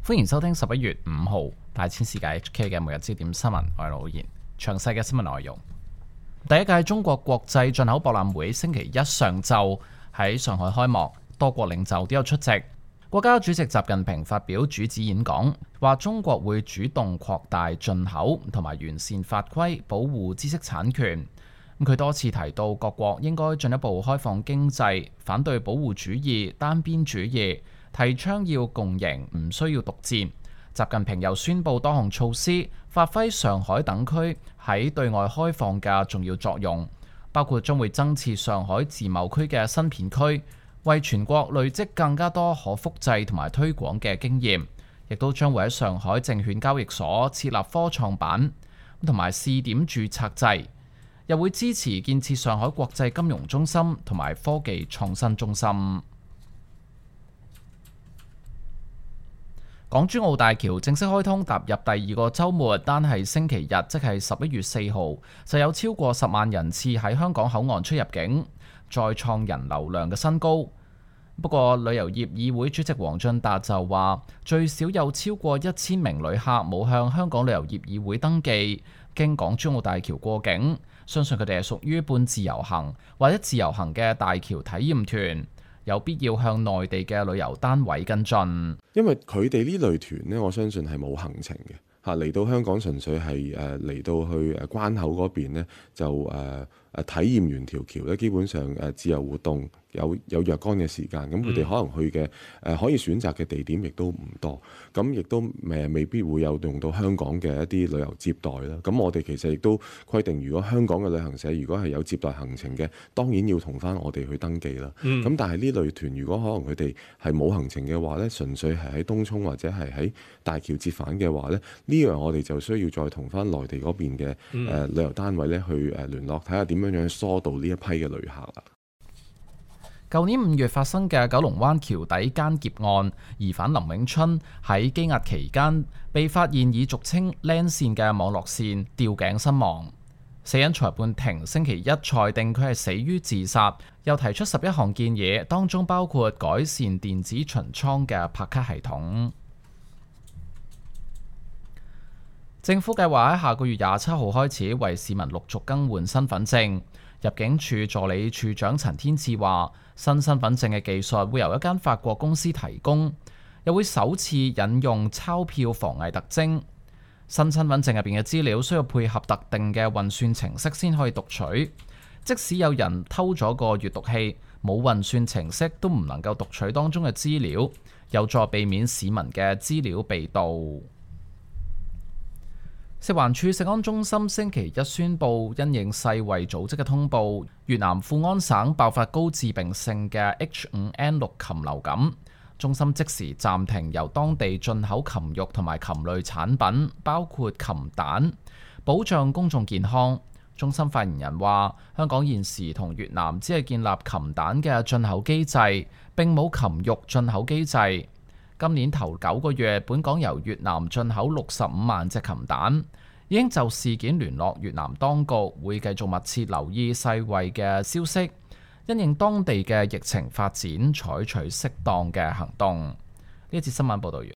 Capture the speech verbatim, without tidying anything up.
歡迎收聽十一月五號大千世界 H K 嘅每日焦點新聞，我係老賢。詳細嘅新聞內容，第一屆中國國際進口博覽會星期一上晝喺上海開幕，多國領袖都有出席。國家主席習近平發表主旨演講，話中國會主動擴大進口同埋完善法規，保護知識產權。佢多次提到各國應該進一步開放經濟，反對保護主義、單邊主義，提倡要共贏，唔需要獨戰。習近平又宣布多項措施，發揮上海等區喺對外開放嘅重要作用，包括將會增設上海自貿區嘅新片區，為全國累積更加多可複製同埋推廣嘅經驗，亦都將會喺上海證券交易所設立科創板同埋試點註冊制，又會支持建設上海國際金融中心同埋科技創新中心。港珠澳大橋正式開通，踏入第二個週末，單係星期日，即係十一月四號，就有超過十萬人次喺香港口岸出入境，再創人流量嘅新高。不過，旅遊業議會主席黃進達就話，最少有超過一千名旅客冇向香港旅遊業議會登記，經港珠澳大橋過境，相信佢哋係屬於半自由行或者自由行嘅大橋體驗團。有必要向內地嘅旅遊單位跟進，因為佢哋呢類團呢，我相信係冇行程嘅嚇，嚟到香港純粹係誒嚟到去誒關口嗰邊呢，就誒誒、呃、體驗完條橋咧，基本上誒自由活動有有若干嘅時間，咁佢哋可能去嘅誒、呃、可以選擇嘅地點亦都唔多，咁亦都誒未必會有用到香港嘅一啲旅遊接待啦。咁我哋其實亦都規定，如果香港嘅旅行社如果係有接待行程嘅，當然要同翻我哋去登記啦。咁、嗯、但係呢類團如果可能佢哋係冇行程嘅話呢，純粹係喺東涌或者係喺大橋折返嘅話呢，呢樣我哋就需要再同翻內地嗰邊嘅誒、呃、旅遊單位咧去誒聯絡，睇下點樣樣疏導呢一批嘅旅客啦。舊年五月發生嘅九龍灣橋底姦劫案，疑犯林永春喺羈押期間被發現以俗稱靚線嘅網絡線吊頸身亡。死因裁判庭星期一裁定佢係死於自殺，又提出十一項建議，當中包括改善電子巡倉嘅拍卡系統。政府計劃喺下個月廿七號開始為市民陸續更換身份證。入境處助理處長陳天賜話，新身份證嘅技術會由一間法國公司提供，又會首次引用鈔票防偽特徵。新身份證入邊嘅資料需要配合特定嘅運算程式先可以讀取，即使有人偷咗個閱讀器，冇運算程式都唔能夠讀取當中嘅資料，有助避免市民嘅資料被盜。食環署食安中心星期一宣布，因應世衛組織嘅通報，越南富安省爆發高致病性嘅 H 五 N 六 禽流感，中心即時暫停由當地進口禽肉同埋禽類產品，包括禽蛋，保障公眾健康。中心發言人話，香港現時同越南只係建立禽蛋嘅進口機制，並冇禽肉進口機制。今年頭九個月，本港由越南進口六十五萬隻禽蛋，已經就事件聯絡越南當局，會繼續密切留意世衛嘅消息，因應當地嘅疫情發展，採取適當嘅行動。呢一節新聞報道完。